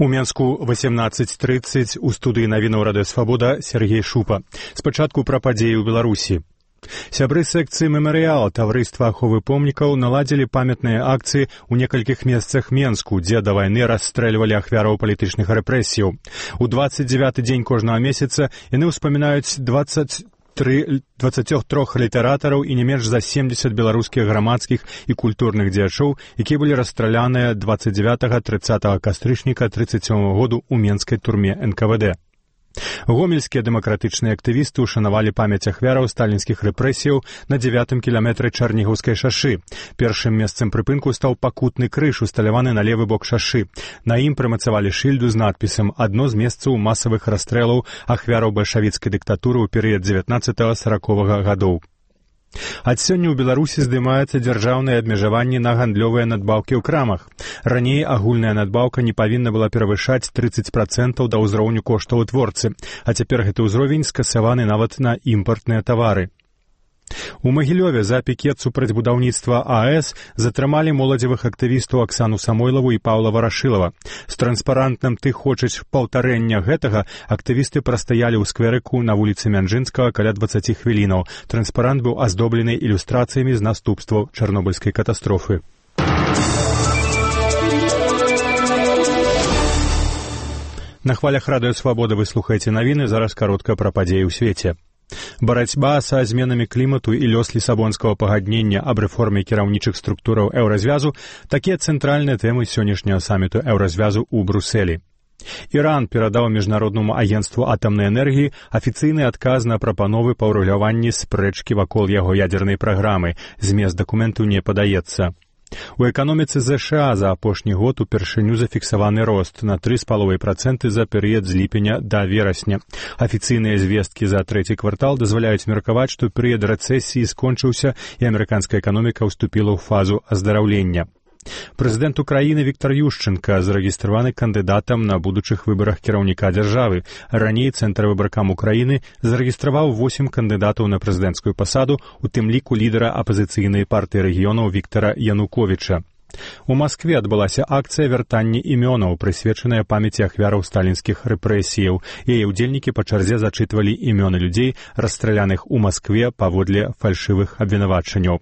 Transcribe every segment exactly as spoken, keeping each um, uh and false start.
У Менску восемнадцать тридцать у студыі навінаў радыё Свабода Сергей Шупа. Спачатку пра падзеі ў Беларусі. Сябры секцыі «Мемарыял» таварыства аховы помнікаў наладзілі памятныя акцыі ў некалькіх месцах Менску, дзе да вайны расстрэльвалі ахвяраў палітычных рэпрэсіяў. У двадцать девяты дзень кожнага месяца яны ўспамінаюць двадцать двадцаць трох літаратараў і не менш за семдзесят беларускіх грамадскіх і культурных дзеячоў, якія былі расстраляныя двадцать девятага тридцатага кастрычніка тридцать сёмага году ў менскай турме эн ка вэ дэ. Гомельскія дэмакратычныя актывісты ушанавалі памяць ахвяраў сталінскіх рэпрэсіяў на дзевятым кіламетры Чарнігаўскай шашы. Першым месцам прыпынку стаў пакутны крыж, усталяваны на левы бок шашы. На ім прымацавалі шыльду з надпісам «Адно з месцаў масавых расстрэлаў ахвяраў бальшавіцкай дыктатуры ў перыяд дзевятнаццатага саракавага гадоў». Ад сёння ў Беларусі здымаюцца дзяржаўныя абмежаванні на гандлёвыя надбаўкі ў крамах. Раней агульная надбаўка не павінна была перавышаць тридцать процентаў да ўзроўню коштаў у творцы, а цяпер гэты ўзровень скасаваны нават на імпартныя тавары. У Магілёве за пікет супраць будаўніцтва а э эс затрымалі моладзевых актывістаў Аксану Самойлаву і Паўла Варашылава. З транспарантным «Ты хочаш паўтарэння гэтага» актывісты прастаялі ў скверыку на вуліцы Мянжынскага каля дваццаць хвілінаў. Транспарант быў аздоблены ілюстрацыямі з наступстваў чарнобыльскай катастрофы. На хвалях радыё Свабода вы слухаеце навіны, зараз каротка пра падзеі ў свеце. Барацьба са зменамі клімату і лёс лісабонскага пагаднення аб рэформе кіраўнічых структураў еўразвязу – такія цэнтральныя тэмы сённяшняга саміту еўразвязу ў Брусэлі. Іран перадаў міжнароднаму агенцтву атамнай энергіі афіцыйны адказ на прапановы па ўрэгуляванні спрэчкі вакол яго ядзернай праграмы. Змест дакументу не падаецца. У эканоміцы ЗША за апошні год упершыню зафіксаваны рост на тры з паловай працэнты за перыяд з ліпеня да верасня. Афіцыйныя звесткі за трэці квартал дазваляюць меркаваць, што перыяд рэцэсіі скончыўся і амерыканская эканоміка ўступіла ў фазу аздараўлення. Прэзідэнт Украіны Віктор Ющенка зарэгістраваны кандыдатам на будучых выбарах кіраўніка дзяржавы. Раней Цэнтр выбаркам Украіны зарэгістраваў восем кандыдатаў на прэзідэнцкую пасаду, у тым ліку лідара апазіцыйнай партыі рэгіёнаў Віктара Януковіча. У Маскве адбылася акцыя вяртання імёнаў, прысвечаная памяці ахвяраў сталінскіх рэпрэсіяў. Яе ўдзельнікі па чарзе зачытвалі імёны людзей, расстраляных у Маскве паводле фальшывых абвінавачанняў.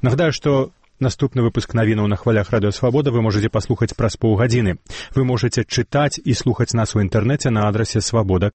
Нагадаю, што наступны выпуск навінаў на хвалях радыё Свабода вы можаце паслухаць праз паўгадзіны. Вы можаце чытаць і слухаць нас у інтэрнэце на адрасе свабода